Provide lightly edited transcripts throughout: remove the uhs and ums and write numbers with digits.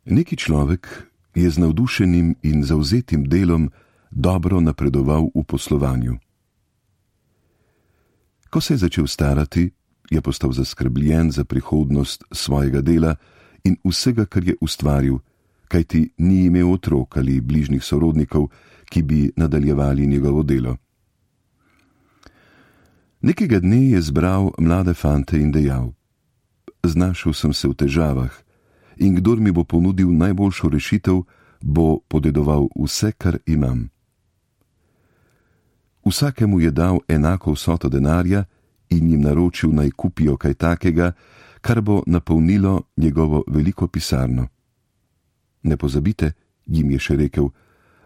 Neki človek je z navdušenim in zavzetim delom dobro napredoval v poslovanju. Ko se je začel starati, je postal zaskrbljen za prihodnost svojega dela in vsega, kar je ustvaril, kajti ni imel otrok ali bližnjih sorodnikov, ki bi nadaljevali njegovo delo. Nekega dne je zbral mlade fante in dejal: Znašel sem se v težavah in kdor mi bo ponudil najboljšo rešitev, bo podedoval vse, kar imam. Vsakemu je dal enako vsoto denarja in jim naročil, naj kupijo kaj takega, kar bo napolnilo njegovo veliko pisarno. Ne pozabite, jim je še rekel,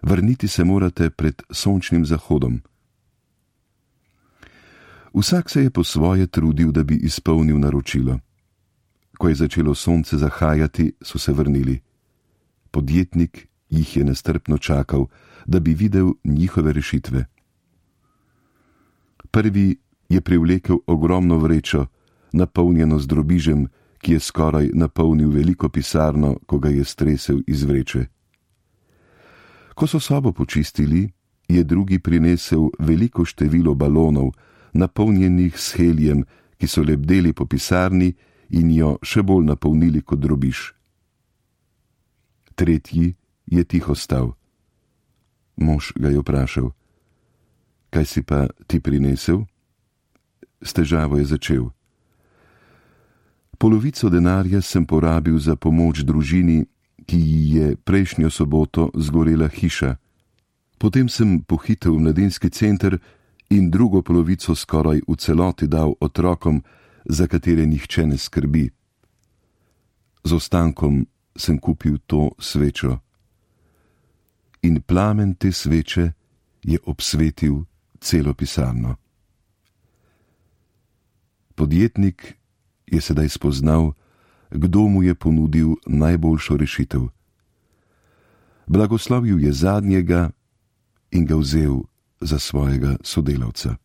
vrniti se morate pred sončnim zahodom. Vsak se je po svoje trudil, da bi izpolnil naročilo. Ko je začelo sonce zahajati, so se vrnili. Podjetnik jih je nestrpno čakal, da bi videl njihove rešitve. Prvi je privlekel ogromno vrečo, napolnjeno z drobižem, ki je skoraj napolnil veliko pisarno, ko ga je stresel iz vreče. Ko so sobo počistili, je drugi prinesel veliko število balonov, napolnjenih s helijem, ki so lebdeli po pisarni in jo še bolj napolnili kot drobiž. Tretji je tiho stal. Mož ga je vprašal: Kaj si pa ti prinesel? S težavo je začel: Polovico denarja sem porabil za pomoč družini, ki ji je prejšnjo soboto zgorela hiša. Potem sem pohitel v mladinski center in drugo polovico skoraj v celoti dal otrokom, za katere nihče ne skrbi. Z ostankom sem kupil to svečo. In plamen te sveče je obsvetil celo pisarno. Podjetnik je sedaj spoznal, kdo mu je ponudil najboljšo rešitev. Blagoslovil je zadnjega in ga vzel za svojega sodelavca.